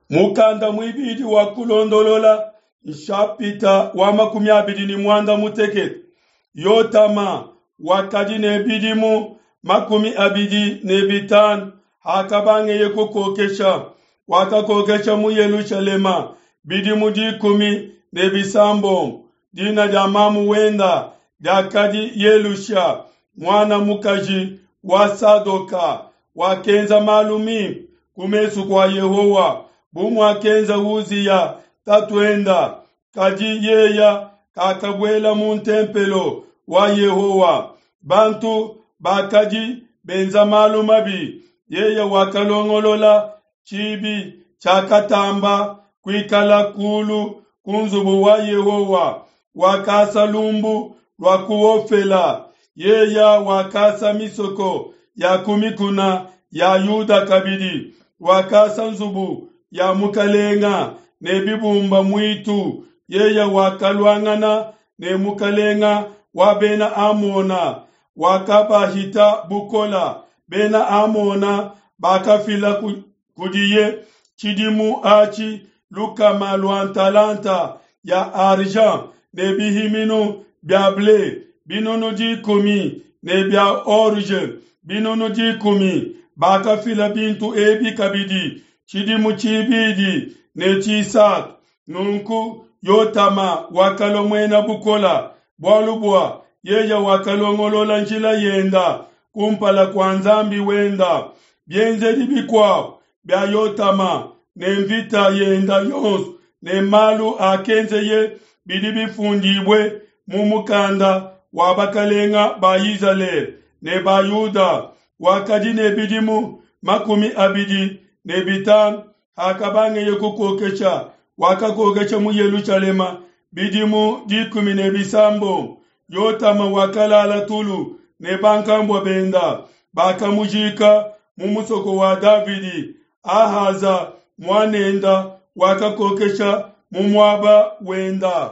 Mukanda muibidi wa Kulondolola nshapita wa 26. Yotama wakadi ne bidimu 25 hakabangeye kukokesha. Wakakokesha mu Yelushalema bidimu 16. Dina dia mamu wenda diakadi Yelusha, muana mukaji wa Sadoka. Wakenza malu mimpe ku mesu kua Yehowa, bu muakenza Uziya tatuenda. Kadi yeya kakabuela mu ntempelo wa Yehowa. Bantu bakadi benza malu mabi. Yeye wakalongolola tshibi tshiakatamba kuikala kulu ku nzubu wa Yehowa. Wakasa lumbu lua ku Ofela. Yeya wakasa misoko ya ku mikuna ya Yuda kabidi. Wakasa nzubu ya mukalenga ne bibumba muitu. Yeye wakaluangana ne mukalenga wa Bena Amona, wakabahita bukola. Bena Amona bakafila kudiye tshidimu atshi lukama lua ntalanta ya argent ne bihiminu bia ble binunu 10 ne bia orge binunu 10. Bakafila bintu ebi kabidi tshidimu tshibidi ne tshisatu. Nunku Yotama wakalua muena bukola, bualu bua yeye wakalongolola njila yenda kumpala kua Nzambi wenda. Bienzedi bikuabo bia Yotama ne mvita yenda yonso ne malu akenzeye bidi bifundibue mu mukanda wa bakalenga ba Izalele ne ba Yuda. Wakadi ne bidimu 25 hakabangeye kukokesha. Wakakokesha mu Yelushalema bidimu 16. Yotama wakalala tulu ne bankambua benda, bakamujika mu musoko wa Davidi. Ahaza muanenda wakakokesha mu muaba wenda.